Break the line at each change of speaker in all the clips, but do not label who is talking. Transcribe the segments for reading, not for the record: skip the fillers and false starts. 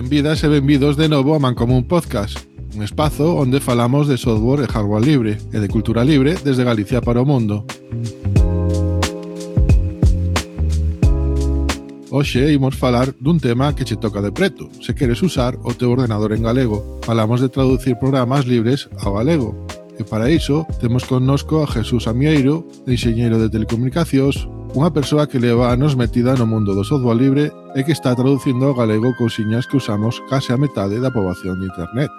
Benvidas e benvidos de novo a Mancomún Podcast, un espazo onde falamos de software e hardware libre e de cultura libre desde Galicia para o mundo. Hoxe imos falar dun tema que che toca de preto, se queres usar o teu ordenador en galego. Falamos de traducir programas libres ao galego. E para iso temos connosco a Jesús Amieiro, enxeñeiro de telecomunicacións, unha persoa que leva anos metida no mundo do software libre e que está traducindo ao galego cousiñas que usamos case a metade da poboación de internet.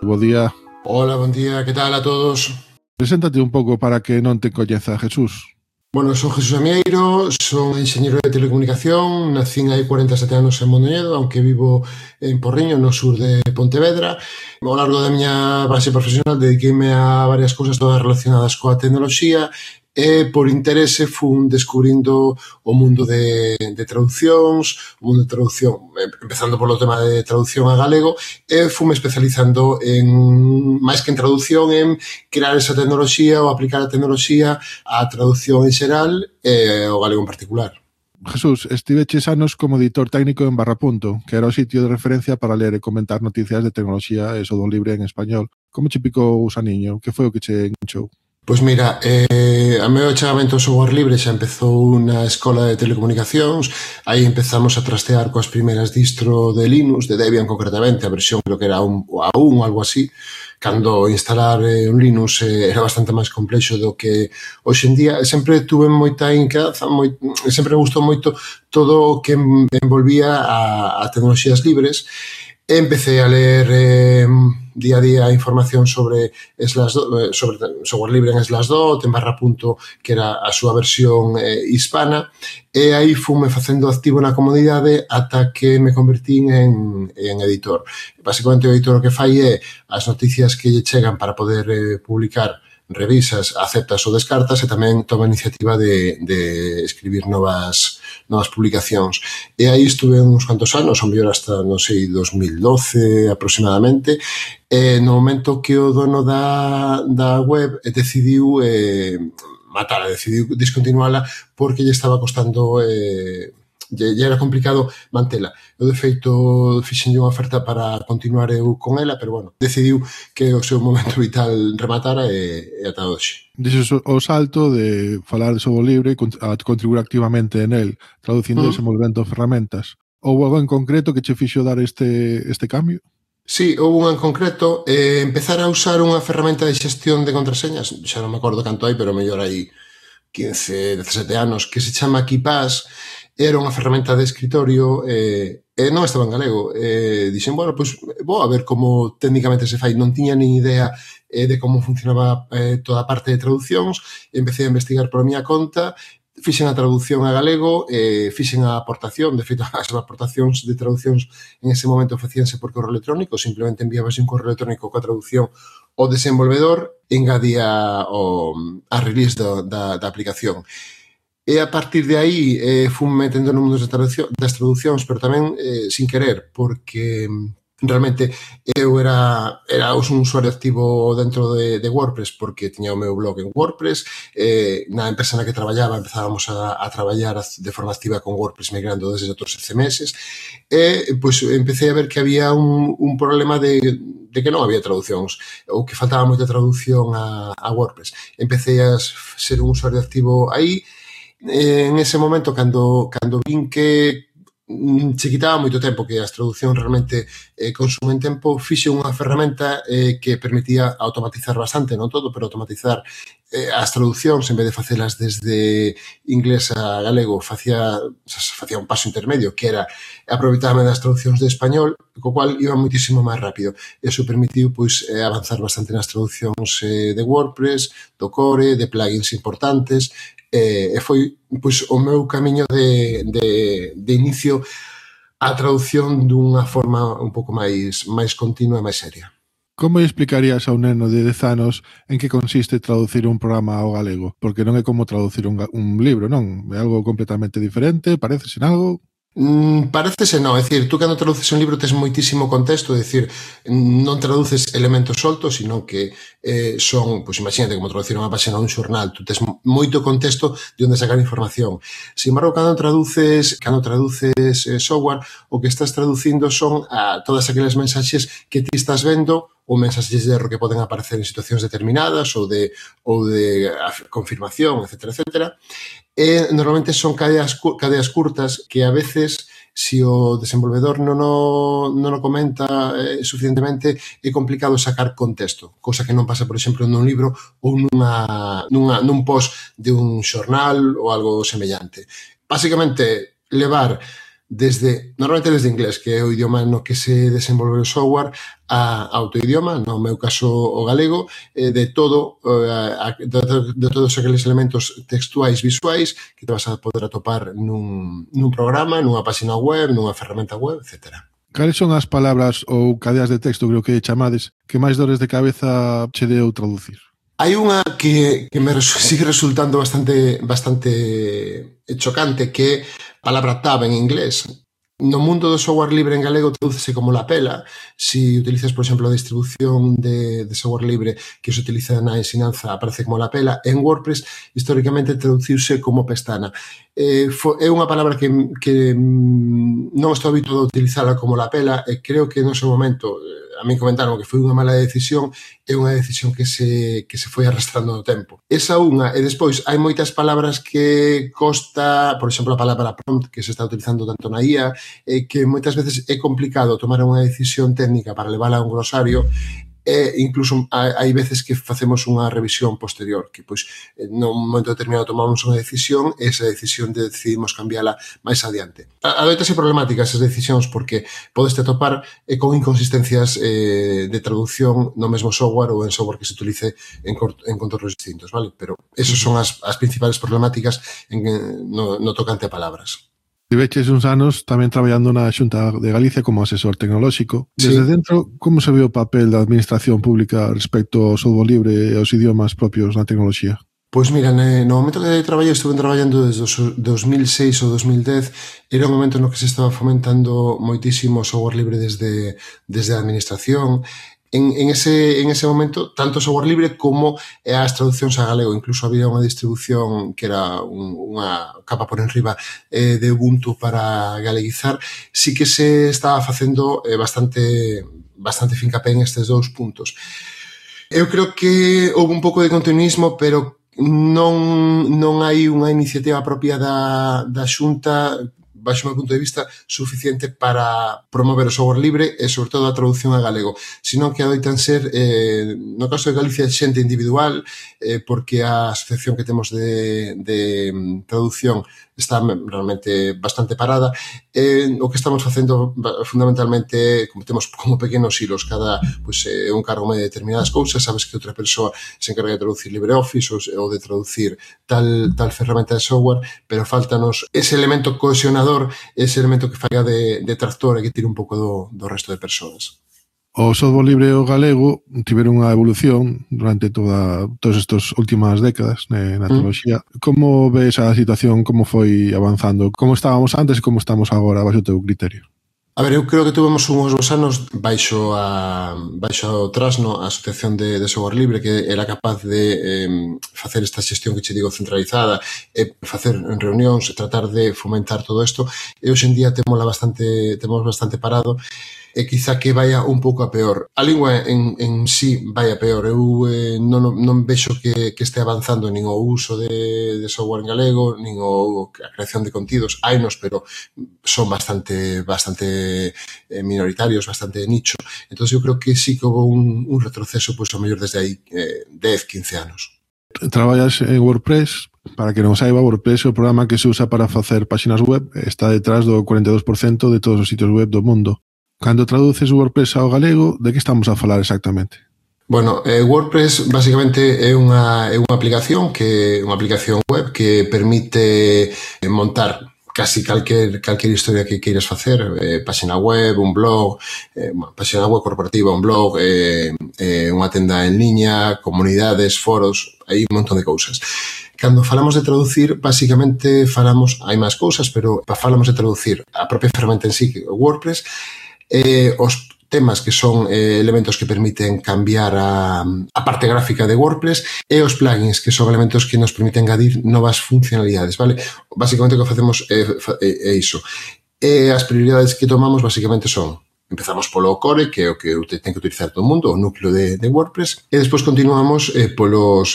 Bo día.
Hola, bon día, que tal a todos?
Preséntate un pouco para que non te coñeza Jesús.
Bueno, son Jesús Amieiro, son enxeñeiro de telecomunicación, nacín hai 47 anos en Mondoñedo, aunque vivo en Porriño, no sur de Pontevedra. Ao largo da miña base profesional dediqueime a varias cousas todas relacionadas coa tecnoloxía e por interese fun descubrindo o mundo de traduccións, o mundo de traducción, empezando polo tema de traducción a galego, e fume especializando en, máis que en traducción, en crear esa tecnoloxía ou aplicar a tecnoloxía á traducción en xeral e ao galego en particular.
Jesús, estiveches anos como editor técnico en Barrapunto, que era o sitio de referencia para ler e comentar noticias de tecnoloxía e software libre en español. Como che picou o usaniño? Que foi o que che enchou?
Pois mira, a meu achegamento ao software libre xa empezou na escola de telecomunicacións. Aí empezamos a trastear coas primeiras distro de Linux, de Debian concretamente, a versión creo que era a 1 ou algo así, cando instalar un Linux era bastante máis complexo do que hoxe en día. Sempre tuve moita inquedanza, sempre me gustou moito todo o que envolvía a tecnoloxías libres. Empecé a ler día a día información sobre software libre en Slashdot, en Barrapunto, que era a súa versión hispana, e aí fume facendo activo na comunidade ata que me convertín en editor. Basicamente o editor o que fai é as noticias que lle chegan para poder publicar, revisas, aceptas ou descartas, e tamén toma a iniciativa de escribir novas publicacións. E aí estuve uns cuantos anos, ou mellor hasta, non sei, 2012 aproximadamente, e no momento que o dono da web decidiu matala, decidiu discontinuala porque lle estaba costando, lle era complicado mantela. Eu, de feito, fixenlle unha oferta para continuar eu con ela, pero, bueno, decidiu que o seu momento vital rematara e ata hoxe.
Dixes o salto de falar de software libre a contribuir activamente en el, traducindo e desenvolvendo ferramentas. Houve algo en concreto que che fixo dar este cambio?
Sí, houve un en concreto, empezar a usar unha ferramenta de xestión de contraseñas, xa non me acordo canto hai, pero mellor hai 15, 17 anos, que se chama KeePass. Era unha ferramenta de escritorio e non estaba en galego. Dixen, bueno, pois vou a ver como técnicamente se fai. Non tiña nin idea de como funcionaba toda a parte de traducións. Empecé a investigar por a miña conta, fixen a traducción a galego, fixen a aportación. De feito, as aportacións de traducións en ese momento facíanse por correo electrónico, simplemente enviabas un correo electrónico coa traducción ao desenvolvedor e engadía a release da aplicación. E a partir de aí fui metendo no mundo das traduccións, pero tamén sin querer, porque realmente eu era un usuario activo dentro de WordPress, porque tiña o meu blog en WordPress. Na empresa na que traballaba empezábamos a traballar de forma activa con WordPress, migrando desde outros CMS, e pois empecé a ver que había un problema de que non había traducións, ou que faltaba moita traducción a WordPress. Empecé a ser un usuario activo aí. En ese momento, cando vin que se quitaba moito tempo, que as traduccións realmente consumen tempo, fixe unha ferramenta que permitía automatizar bastante, non todo, pero automatizar as traduccións. En vez de facelas desde inglés a galego, facía un paso intermedio, que era aproveitarme das traduccións de español, co cual iba moitísimo máis rápido. Eso permitiu pois avanzar bastante nas traducións de WordPress, do core, de plugins importantes, e foi pois o meu camiño de inicio á traducción dunha forma un pouco máis continua e máis seria.
Como explicarías a un neno de 10 anos en que consiste traducir un programa ao galego? Porque non é como traducir un libro, non? É algo completamente diferente, pareces en algo?
Parécese non, é dicir, tú cando traduces un libro tes moitísimo contexto, é dicir, non traduces elementos soltos, sino que son, pois imagínate como traducir unha página dun xornal, tú tes moito contexto de onde sacar información. Sin embargo, cando traduces software, o que estás traducindo son a todas aquelas mensaxes que ti estás vendo ou mensaxes de erro que poden aparecer en situacións determinadas ou de confirmación, etcétera, etcétera. E normalmente son cadeas curtas que a veces, se o desenvolvedor non o comenta suficientemente, é complicado sacar contexto, cousa que non pasa, por exemplo, nun libro ou nun post de un xornal ou algo semellante. Básicamente, levar normalmente desde inglés, que é o idioma no que se desenvolve o software, a autoidioma, no meu caso o galego, de todos aqueles elementos textuais, visuais, que te vas a poder atopar nun programa, nunha página web, nunha ferramenta web, etc.
Cales son as palabras ou cadeas de texto, creo que chamades, que máis dores de cabeza che deu traducir?
Hai unha que me sigue resultando bastante chocante, que é a palabra tab en inglés. No mundo do software libre en galego tradúcese como lapela. Si utilizas, por exemplo, a distribución de software libre que se utiliza na ensinanza, aparece como lapela. En WordPress, históricamente, traduciuse como pestana. É unha palabra que non estou habituado a utilizala como lapela, e creo que no seu momento a mí comentaron que foi unha mala decisión, é unha decisión que se foi arrastrando no tempo. Esa unha, e despois hai moitas palabras que costa, por exemplo, a palabra prompt, que se está utilizando tanto na IA, que moitas veces é complicado tomar unha decisión técnica para levala a un glosario, e incluso hai veces que facemos unha revisión posterior, que pois nun momento determinado tomamos unha decisión e esa decisión decidimos cambiala máis adiante. Adoitase problemática esas decisións porque podeste atopar con inconsistencias de traducción no mesmo software ou en software que se utilice en contornos distintos, vale? Pero esos son as principales problemáticas no tocante a palabras.
Tiveches uns anos tamén traballando na Xunta de Galicia como asesor tecnolóxico. Desde dentro, como se ve o papel da administración pública respecto ao software libre e aos idiomas propios na tecnoloxía?
Pois mira, no momento que estuve traballando desde 2006 ou 2010, era un momento no que se estaba fomentando moitísimo o software libre desde a administración. En ese momento, tanto software libre como as traduccións a galego. Incluso había unha distribución que era unha capa por enriba de Ubuntu para galeguizar. Sí que se estaba facendo bastante fincapé en estes dous puntos. Eu creo que houve un pouco de continuismo, pero non hai unha iniciativa propia da Xunta, baixo o meu punto de vista, suficiente para promover o software libre e, sobre todo, a traducción a galego. Senón que adoitan ser, no caso de Galicia, xente individual, porque a asociación que temos de traducción está realmente bastante parada. O que estamos facendo fundamentalmente, como temos como pequenos hilos, cada un cargo de determinadas cousas, sabes que outra persoa se encarga de traducir LibreOffice ou de traducir tal ferramenta de software, pero faltanos ese elemento cohesionador, ese elemento que falla de tractor e que tire un pouco do resto de persoas.
O software libre e o galego tiveron unha evolución durante todas estas últimas décadas na tecnoloxía. Como ves a situación, como foi avanzando? Como estábamos antes e como estamos agora, baixo o teu criterio?
A ver, eu creo que tuvemos uns bons anos baixo o Trasno, a Asociación de Software Libre, que era capaz de facer esta xestión que che digo centralizada, e facer reunións, e tratar de fomentar todo isto, e hoxe en día temos bastante parado, e quizá que vaya un pouco a peor. A lingua en sí vai a peor. Eu non vexo que este avanzando nin o uso de software en galego, nin a creación de contidos. Hainos, pero son bastante minoritarios, bastante de nicho. Entón, eu creo que sí que houve un retroceso, pois, ao mellor desde aí 10, 15 anos.
Traballas en WordPress. Para que non saiba, WordPress é o programa que se usa para facer páxinas web. Está detrás do 42% de todos os sitios web do mundo. Cando traduces o WordPress ao galego, de que estamos a falar exactamente?
Bueno, WordPress basicamente é unha aplicación web que permite montar casi calquer historia que queiras facer, páxina web, un blog, páxina web corporativa, un blog, unha tenda en liña, comunidades, foros, hai un montón de cousas. Cando falamos de traducir, basicamente hai máis cousas, pero falamos de traducir a propia ferramenta en sí, o WordPress, os temas que son elementos que permiten cambiar a parte gráfica de WordPress e os plugins que son elementos que nos permiten engadir novas funcionalidades, vale? Basicamente o que facemos é iso. E as prioridades que tomamos basicamente son: empezamos polo core, que é o que ten que utilizar todo o mundo, o núcleo de WordPress, e despois continuamos polos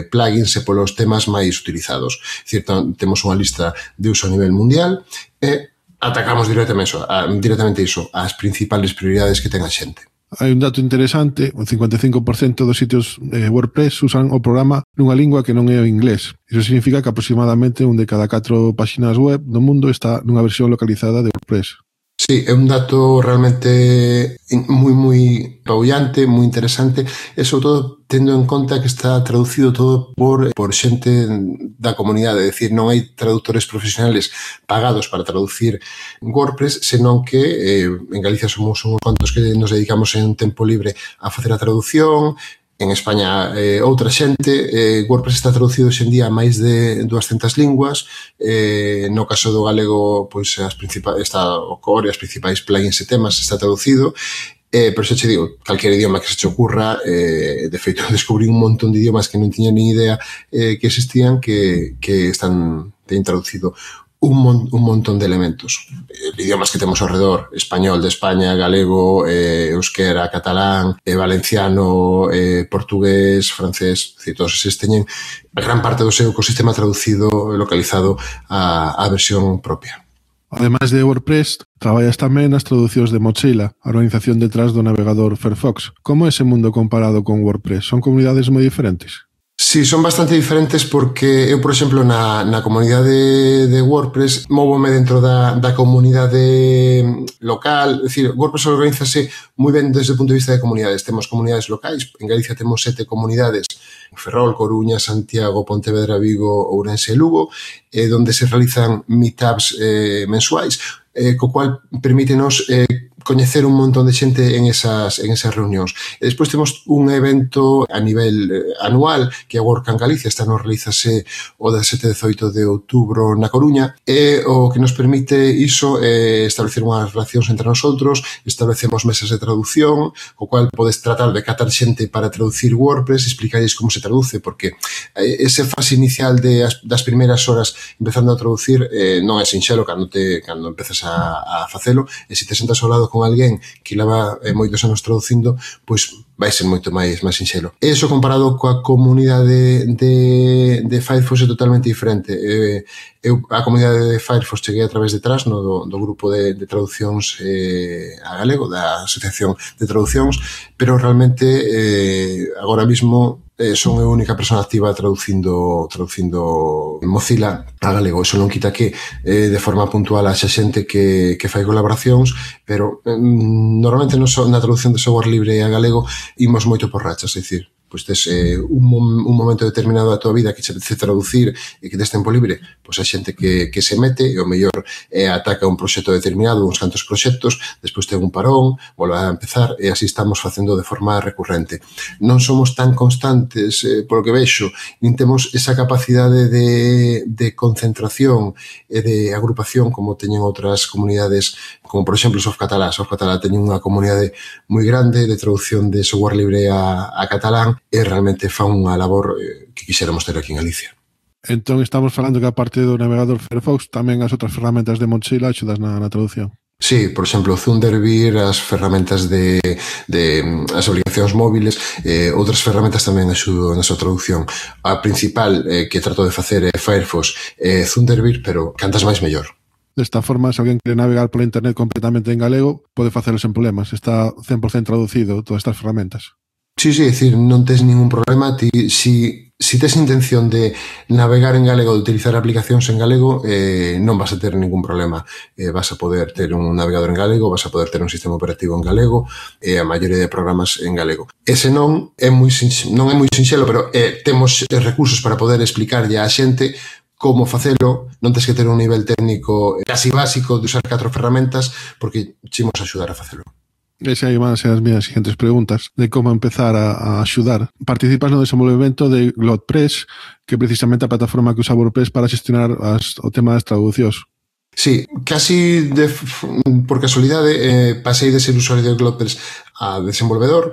plugins e polos temas máis utilizados. É dicir, temos unha lista de uso a nivel mundial e atacamos directamente iso, as principales prioridades que ten a xente.
Hai un dato interesante: o 55% dos sitios WordPress usan o programa nunha lingua que non é o inglés. Iso significa que aproximadamente un de cada 4 páxinas web do mundo está nunha versión localizada de WordPress.
Sí, é un dato realmente moi apabullante, moi interesante, e sobre todo tendo en conta que está traducido todo por xente da comunidade, é dicir, non hai traductores profesionales pagados para traducir WordPress, senón que en Galicia somos uns cuantos que nos dedicamos en un tempo libre a facer a traducción. En España outra xente. WordPress está traducido hoxe en día a máis de 200 linguas. No caso do galego, pois está o core, as principais plugins e temas está traducido. Pero xa che digo, calquer idioma que se te ocurra, de feito descubrí un montón de idiomas que non tiña ni idea que existían, que teñen traducido un montón de elementos. Idiomas que temos ao redor: español de España, galego, euskera, catalán, valenciano, portugués, francés, todos eses teñen a gran parte do seu ecosistema traducido e localizado á versión propia.
Ademais de WordPress, traballas tamén nas traducións de Mozilla, a organización detrás do navegador Firefox. Como é ese mundo comparado con WordPress? Son comunidades moi diferentes?
Sí, son bastante diferentes porque eu, por exemplo, na comunidade de WordPress móvome dentro da comunidade local. É dicir, WordPress organizase moi ben desde o punto de vista de comunidades. Temos comunidades locais, en Galicia temos 7 comunidades: Ferrol, Coruña, Santiago, Pontevedra, Vigo, Ourense e Lugo, donde se realizan meetups mensuais, co cual permítenos coñecer un montón de xente en esas reunións. E despois temos un evento a nivel anual, que é a WordCamp Galicia. Este ano realízase o 17 e 18 de outubro na Coruña, e o que nos permite iso é establecer unhas relacións entre nosotros, establecemos mesas de traducción, co cual podes tratar de catar xente para traducir WordPress, explicarles como se traduce, porque ese fase inicial das primeiras horas empezando a traducir non é sinxelo cando empezas a facelo, e se te sentas ao lado con alguén que leva moitos anos traducindo, pois vai ser moito máis sinxelo. Eso comparado coa comunidade de Firefox é totalmente diferente. Eu a comunidade de Firefox cheguei a través de Trasno, do grupo de traducións a galego, da Asociación de Traducións, pero realmente agora mismo son a única persona activa traducindo Mozilla a galego. Eso non quita que de forma puntual haxa xente que fai colaboracións, pero normalmente na traducción de software libre a galego imos moito por rachas, é dicir, pois tes un momento determinado da tua vida que che apetece traducir e que tes tempo libre, pois hai xente que se mete e o mellor ataca un proxecto determinado, uns cantos proxectos, despois ten un parón, volve a empezar, e así estamos facendo de forma recurrente. Non somos tan constantes, polo que vexo, nin temos esa capacidade de concentración e de agrupación como teñen outras comunidades, como por exemplo Softcatalà. Softcatalà teñen unha comunidade moi grande de traducción de software libre a catalán, e realmente fan unha labor que quixéramos ter aquí en Galicia.
Entón estamos falando que a parte do navegador Firefox tamén as outras ferramentas de Mozilla axudas na traducción.
Sí, por exemplo, Thunderbird, as ferramentas de as aplicacións móviles, outras ferramentas tamén axudan na súa traducción. A principal que trato de facer é Firefox e Thunderbird, pero cantas máis mellor.
Desta forma, se alguén quere navegar pola internet completamente en galego, pode facelo sen problemas. Está 100% traducido todas estas ferramentas.
Sí, é dicir, non tes ningún problema. Si tes intención de navegar en galego, de utilizar aplicacións en galego, non vas a ter ningún problema. Vas a poder ter un navegador en galego, vas a poder ter un sistema operativo en galego, e a maioría de programas en galego. Ese non é moi sinxelo, pero temos recursos para poder explicarlle á xente como facelo, non tens que ter un nivel técnico casi básico de usar 4 ferramentas, porque chimos a axudar a facelo.
Esa aí van a ser as minhas siguientes preguntas de como empezar a axudar. Participas no desenvolvemento de GlotPress, que é precisamente a plataforma que usa WordPress para xestionar o tema das traducións.
Sí, casi por casualidade pasei de ser usuario de GlotPress a desenvolvedor.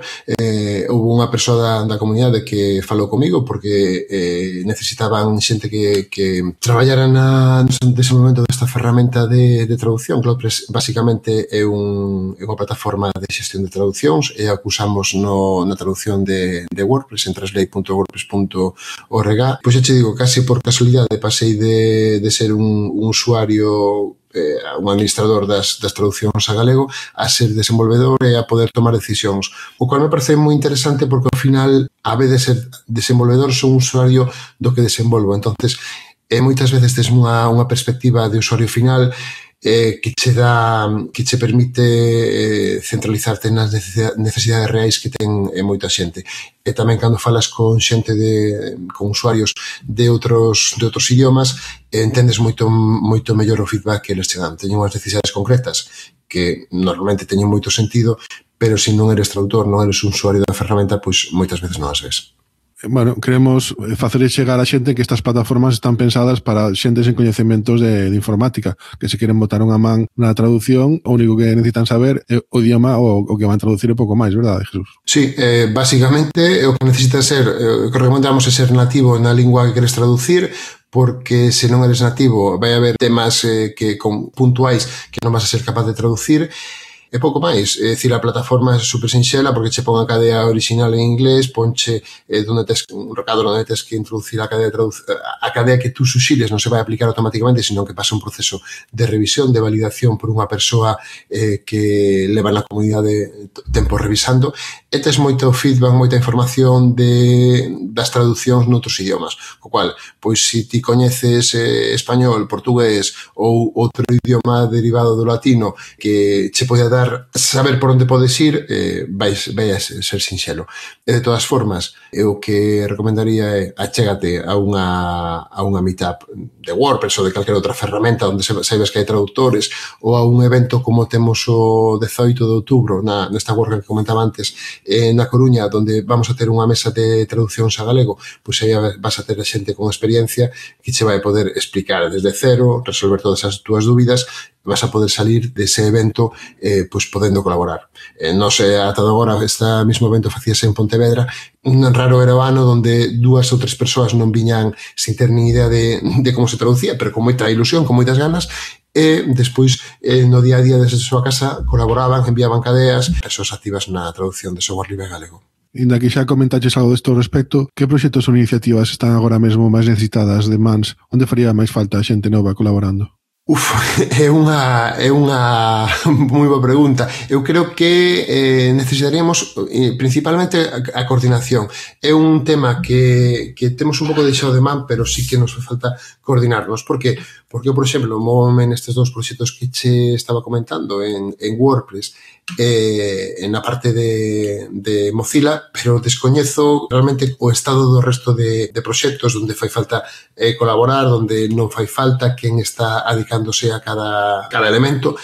Houve unha persoa da comunidade que falou comigo porque necesitaban xente que traballara no desenvolvemento desta ferramenta de traducción. GlotPress basicamente é unha plataforma de xestión de traduccións e a que usamos na traducción de WordPress en translate.wordpress.org. Pois xa che digo, casi por casualidade pasei de ser un usuario, un administrador das traduccións a galego, a ser desenvolvedor e a poder tomar decisións. O cual me parece moi interesante porque ao final, a vez de ser desenvolvedor, son un usuario do que desenvolvo. Entonces, moitas veces tes unha perspectiva de usuario final que che permite centralizarte nas necesidades reais que ten moita xente. E tamén cando falas con xente con usuarios de outros idiomas, entendes moito mellor o feedback que eles che dan. Teñen unhas necesidades concretas que normalmente teñen moito sentido, pero se non eres traductor, non eres un usuario da ferramenta, pois moitas veces non as ves.
Bueno, queremos facer chegar a xente que estas plataformas están pensadas para xentes en coñecementos de informática, que se queren botar unha man na traducción, o único que necesitan saber é o idioma o que van traducir é pouco máis, verdade, Jesús?
Sí, basicamente o que necesitas ser, o que recomendamos é ser nativo na lingua que queres traducir, porque se non eres nativo vai haber temas puntuais que non vas a ser capaz de traducir. E pouco máis, é dicir, a plataforma é super sinxela porque che pon a cadea original en inglés, ponche un recado onde tes que introducir a cadea que tú suxires non se vai aplicar automáticamente, sino que pasa un proceso de revisión, de validación por unha persoa que leva na comunidade tempo revisando, e tes moito feedback, moita información das traduccións noutros idiomas, o cual, pois, se ti coñeces español, portugués ou outro idioma derivado do latino que che pode dar saber por onde podes ir, vai a ser sinxelo. E de todas formas, o que recomendaría é achégate a unha meetup de WordPress ou de calquera outra ferramenta onde saibas que hai traductores, ou a un evento como temos o 18 de outubro nesta WordCamp que comentaba antes na Coruña, onde vamos a ter unha mesa de traduccións a galego, pois aí vas a ter a xente con experiencia que che vai poder explicar desde cero, resolver todas as túas dúbidas, vas a poder salir dese evento pois podendo colaborar. Non sei, ata agora este mismo evento facíase en Pontevedra, un raro era o ano onde 2 ou 3 persoas non viñan sin ter nin idea de como se traducía, pero con moita ilusión, con moitas ganas, e despois no día a día desde a súa casa colaboraban, enviaban cadeas, persoas activas na traducción de software libre galego.
Inda que xa comentaches algo desto ao respecto, que proxectos ou iniciativas están agora mesmo máis necesitadas de mans, onde faría máis falta a xente nova colaborando?
É unha moi boa pregunta. Eu creo que necesitaríamos principalmente a coordinación. É un tema que temos un pouco deixado de man, pero sí que nos falta coordinarnos. Por que? Porque eu, por exemplo, móvome nestes 2 proxectos que che estaba comentando en WordPress, na parte de Mozilla, pero descoñezo realmente o estado do resto de proxectos onde fai falta colaborar, onde non fai falta, quen está adicándose a cada elemento,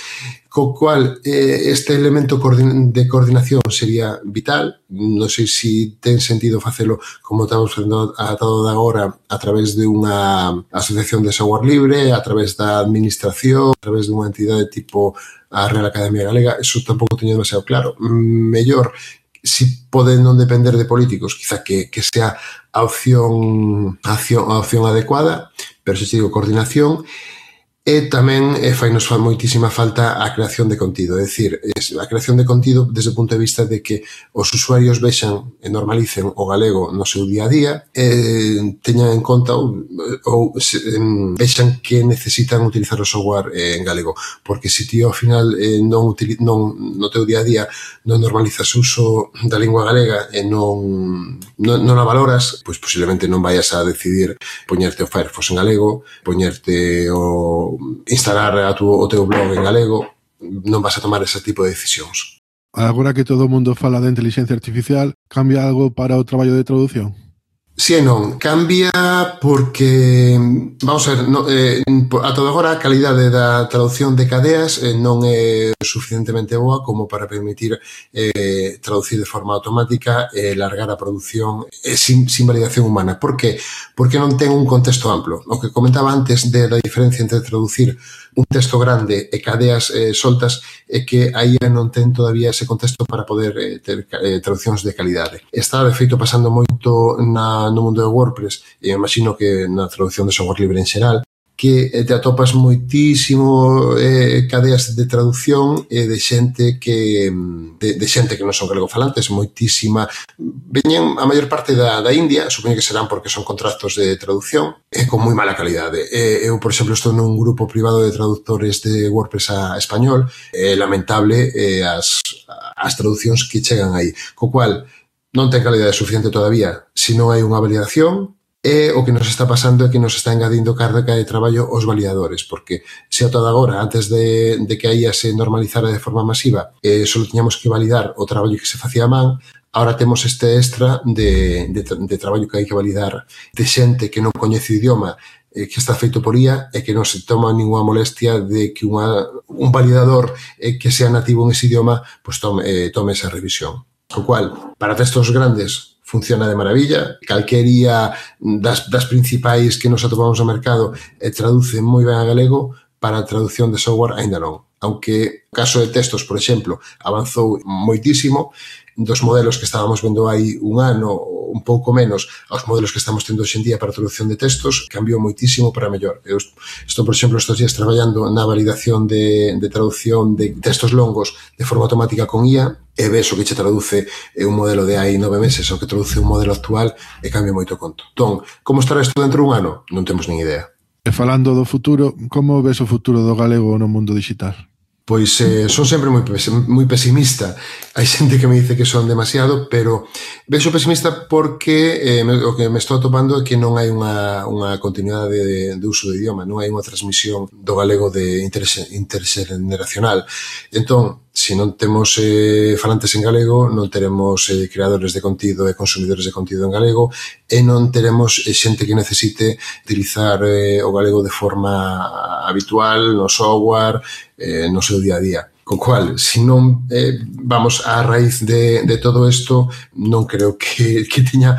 co cual este elemento de coordinación sería vital. Non sei se ten sentido facelo como estamos facendo atado de agora a través de unha asociación de software libre, a través da administración, a través de unha entidade tipo a Real Academia Galega. Eso tampouco teño demasiado claro. Mellor, si pode non depender de políticos, quizá que sea a opción adecuada, pero se digo coordinación. E tamén fainos moitísima falta a creación de contido, é dicir, a creación de contido desde o punto de vista de que os usuarios vexan e normalicen o galego no seu día a día, teñan en conta ou vexan que necesitan utilizar o software en galego, porque se ti ao final non no teu día a día non normalizas o uso da lingua galega e non a valoras, pois posiblemente non vayas a decidir poñerte o Firefox en galego, poñerte instalar o teu blog en galego, non vas a tomar ese tipo de decisións.
Agora que todo o mundo fala de inteligencia artificial, cambia algo para o traballo de traducción?
Si e non, cambia porque, vamos a ver, a todo agora a calidade da traducción de cadeas non é suficientemente boa como para permitir traducir de forma automática e largar a produción sin validación humana. Por que? Porque non ten un contexto amplo. O que comentaba antes de la diferencia entre traducir un texto grande e cadeas soltas é que aí non ten todavía ese contexto para poder ter traduccións de calidade. Está, de feito, pasando moito no mundo de WordPress, e imagino que na traducción de software libre en xeral, que te atopas moitísimo cadeas de traducción de xente que non son galegofalantes, moitísima. Veñen a maior parte da India, supoño que serán porque son contratos de traducción, con moi mala calidade. Eu, por exemplo, estou nun grupo privado de traductores de WordPress a español, é lamentable as traduccións que chegan aí, co cual non ten calidade suficiente todavía se non hai unha validación. E o que nos está pasando é que nos está engadindo carga de traballo os validadores, porque se a toda agora, antes de que a IA se normalizara de forma masiva, só tiñamos que validar o traballo que se facía a man, ahora temos este extra de traballo que hai que validar de xente que non coñece o idioma, que está feito por IA e que non se toma ninguna molestia de que un validador que sea nativo en ese idioma pues tome esa revisión. Co cual, para textos grandes funciona de maravilla, calquería das principais que nos atopamos no mercado traduce moi ben a galego, para a traducción de software aínda non. Aunque o caso de textos, por exemplo, avanzou moitísimo, dos modelos que estábamos vendo hai un ano, un pouco menos, aos modelos que estamos tendo hoxe en día para a traducción de textos, cambiou moitísimo para mellor. Eu estou, por exemplo, estes días traballando na validación de traducción de textos longos de forma automática con IA, e ves o que che traduce un modelo de hai 9 meses o que traduce un modelo actual e cambia moito conto. Entón, como estará isto dentro de un ano? Non temos nin idea.
E falando do futuro, como ves o futuro do galego no mundo digital?
Pois son sempre moi pesimista. Hai xente que me dice que son demasiado, pero vexo pesimista porque o que me estou atopando é que non hai unha continuidade de uso do idioma, non hai unha transmisión do galego de interxeneracional. Entón, se non temos falantes en galego, non teremos creadores de contido e consumidores de contido en galego, e non teremos xente que necesite utilizar o galego de forma habitual no software, no seu día a día. Co cual, se non vamos á raíz de todo isto, non creo que tiña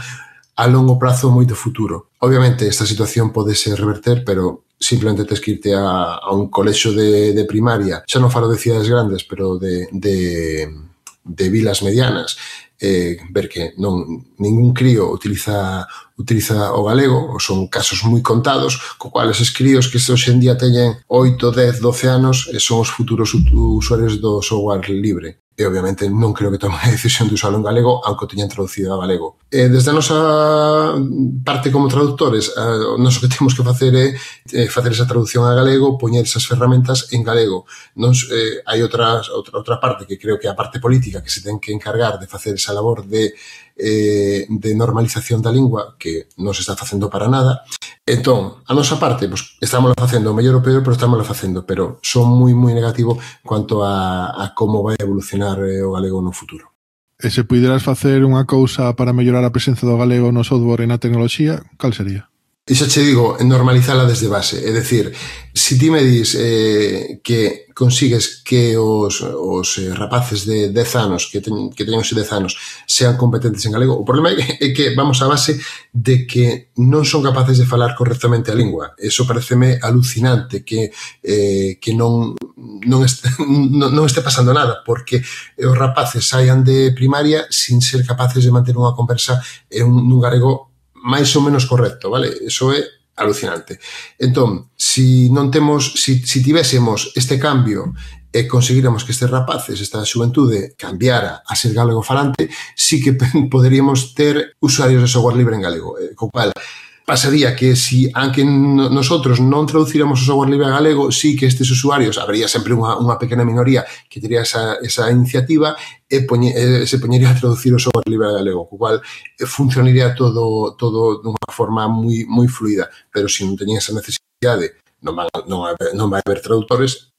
a longo prazo moito futuro. Obviamente, esta situación pode ser reverter, pero simplemente tens que irte a un colexo de primaria, xa non falo de cidades grandes, pero de vilas medianas, ver que ningún crío utiliza o galego, ou son casos moi contados, co cual eses críos que hoxe en día teñen 8, 10, 12 anos son os futuros usuarios do software libre. E obviamente non creo que tomen a decisión de usarlo en galego, aunque o teñan traducido a galego. Desde a nosa parte como traductores, o noso que temos que facer é facer esa traducción a galego, poñer esas ferramentas en galego. Hai outra parte que creo que é a parte política que se ten que encargar de facer esa labor de normalización da lingua, que non se está facendo para nada. Entón, a nosa parte, pues, estamos facendo o mellor ou peor, pero estamos facendo, pero son moi negativo quanto a como vai evolucionar o galego no futuro.
E se puideras facer unha cousa para mellorar a presenza do galego no software e na tecnoloxía, cal sería?
E xa che digo, normalizala desde base. É dicir, se ti me dis que consigues que os rapaces de 10 anos, que teñen os 10 anos, sean competentes en galego, o problema é que vamos á base de que non son capaces de falar correctamente a lingua. Eso pareceme alucinante, que non este pasando nada, porque os rapaces saian de primaria sin ser capaces de manter unha conversa nun galego máis ou menos correcto, vale? Eso é alucinante. Entón, se tivésemos este cambio e conseguíramos que estes rapaces, esta xuventude, cambiara a ser galego falante, sí que poderíamos ter usuarios de software libre en galego, co cual pasaría que se, aunque nosotros non traducíramos o software libre a galego, sí que estes usuarios, habería sempre unha pequena minoría que tería esa iniciativa e se poñería a traducir o software libre a galego, co cual funcionaría todo dunha forma moi fluida, pero se non teñen esa necesidade, non vai haber traductores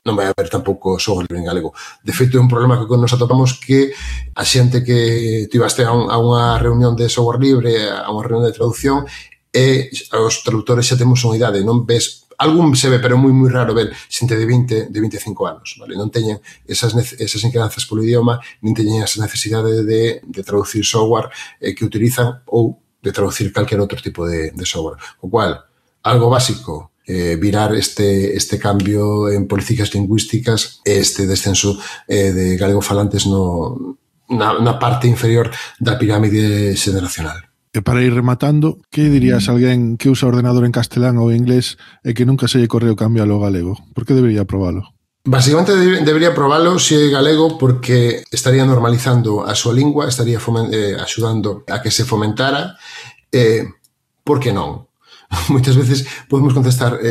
non vai haber tampouco software libre en galego. De feito, é un problema que nos atopamos que a xente que tivaste a unha reunión de software libre, a unha reunión de traducción, e os traductores xa temos unha idade, non ves, algún se ve, pero é moi raro ver xente de 20, de 25 anos, vale? Non teñen esas inquedanzas polo idioma, nin teñen esa necesidade de traducir software que utilizan ou de traducir calquer outro tipo de software. O cual, algo básico, virar este cambio en políticas lingüísticas, este descenso de galego falantes na parte inferior da pirámide xeneracional.
E para ir rematando, que dirías a alguén que usa ordenador en castelán ou inglés e que nunca se lle correu cambialo ao galego? Por que debería probalo?
Básicamente debería probalo se é galego porque estaría normalizando a súa lingua, estaría axudando a que se fomentara. Por que non? Moitas veces podemos contestar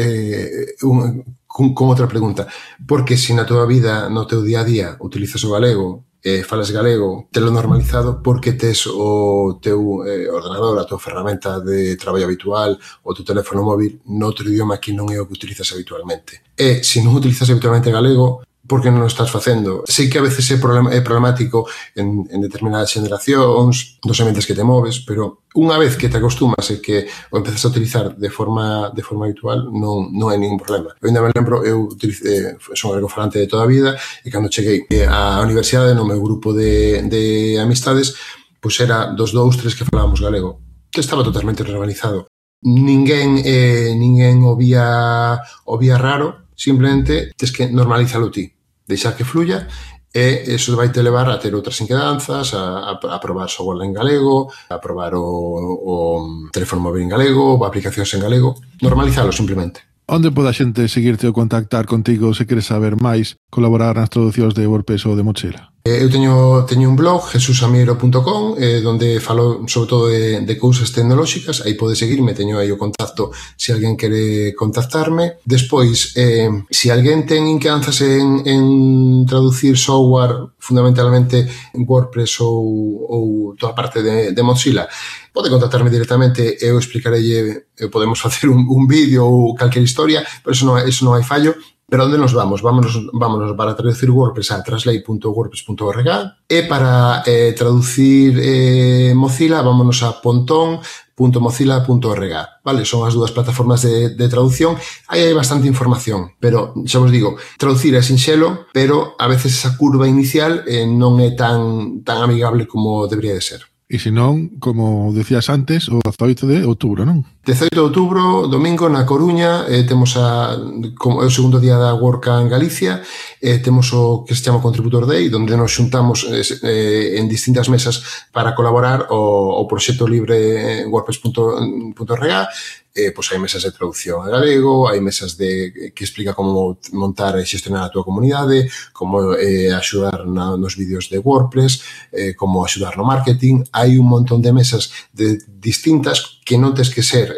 con outra pregunta. Porque se na tua vida, no teu día a día, utilizas o galego, falas galego, telo normalizado porque tes o teu ordenador, a tua ferramenta de traballo habitual, o teu teléfono móvil noutro idioma que non é o que utilizas habitualmente. E se non utilizas habitualmente galego, por que non o estás facendo? Sei que a veces é problemático en determinadas xeneracións, dos ambientes que te moves, pero unha vez que te acostumas e que o empezas a utilizar de forma habitual, non é ningún problema. Eu ainda me lembro, eu son galego-falante de toda a vida, e cando cheguei á universidade, no meu grupo de amistades, pois era dos 2-3 que falábamos galego. Estaba totalmente normalizado. Ninguén o vía raro, simplemente tens que normalizalo ti, deixar que fluya, e eso vai te levar a ter outras inquedanzas, a probar software en galego, a probar o teléfono móvil en galego, ou aplicacións en galego, normalizalo simplemente.
Onde pode a xente seguirte ou contactar contigo se queres saber máis, colaborar nas traducións de WordPress ou de Mochila?
Eu teño un blog, jesusamiero.com, donde falo sobre todo de cousas tecnolóxicas. Aí pode seguirme, teño aí o contacto se alguén quere contactarme. Despois, se alguén ten inquedanzas en traducir software, fundamentalmente en WordPress ou toda a parte de Mozilla, pode contactarme directamente, eu explicarelle, podemos facer un vídeo ou calquer historia, pero eso non hai fallo. Pero onde nos vamos? Vámonos para traducir WordPress a translate.wordpress.org, e para traducir Mozilla vámonos a ponton.mozilla.org. Vale, son as dúas plataformas de traducción. Aí hai bastante información, pero xa vos digo, traducir é sinxelo, pero a veces esa curva inicial non é tan amigable como debería de ser.
E se non, como decías antes, o 18 de outubro, non?
18 de outubro, domingo, na Coruña, temos o segundo día da WordCamp en Galicia, temos o que se chama Contributor Day, onde nos xuntamos en distintas mesas para colaborar o proxecto libre WordPress.org. Pois hai mesas de traducción a galego, hai mesas que explica como montar e xestionar a túa comunidade, como axudar nos vídeos de WordPress, como axudar no marketing. Hai un montón de mesas distintas que non tens que ser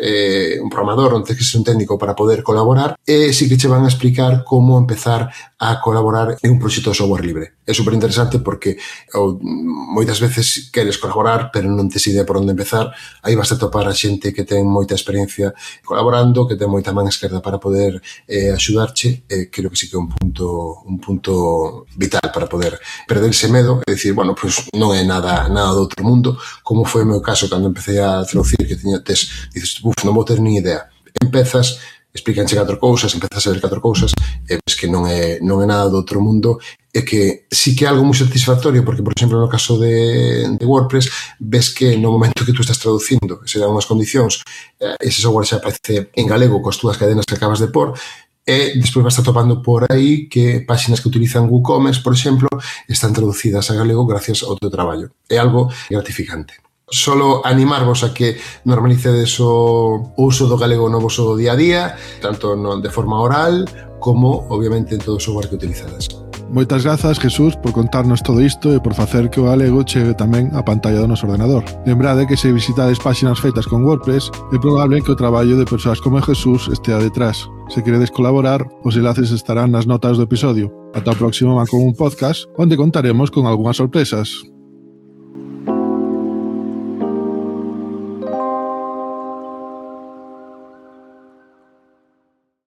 un programador, non tens que ser un técnico para poder colaborar, e sí que che van a explicar como empezar a colaborar en un proxecto de software libre. É super interesante porque moitas veces queres colaborar, pero non tes idea por onde empezar. Aí vas a topar a xente que ten moita experiencia colaborando, que ten moita man esquerda para poder axudarche. Creo que sí que é un punto vital para poder perderse medo e dicir, bueno, pues non é nada do outro mundo, como foi o meu caso cando empecé a traducir, que dices, non vou ter ni idea. Empezas, explícanche 4 cousas, empezas a ver 4 cousas, e ves que non é nada do outro mundo, e que sí que é algo moi satisfactorio, porque, por exemplo, no caso de WordPress, ves que no momento que tú estás traducindo, se dan unhas condicións, ese software xa aparece en galego coas túas cadenas que acabas de pôr, e despois vas atopando por aí que páxinas que utilizan WooCommerce, por exemplo, están traducidas a galego gracias ao teu traballo. É algo gratificante. Solo animarvos a que normalicedes o uso do galego no voso día a día, tanto de forma oral como, obviamente, en todo o software que utilizades.
Moitas grazas, Jesús, por contarnos todo isto e por facer que o galego chegue tamén á pantalla do noso ordenador. Lembrade que se visitades páxinas feitas con WordPress, é probable que o traballo de persoas como Jesús estea detrás. Se queredes colaborar, os enlaces estarán nas notas do episodio. Ata o próximo Macomún Podcast, onde contaremos con algunhas sorpresas.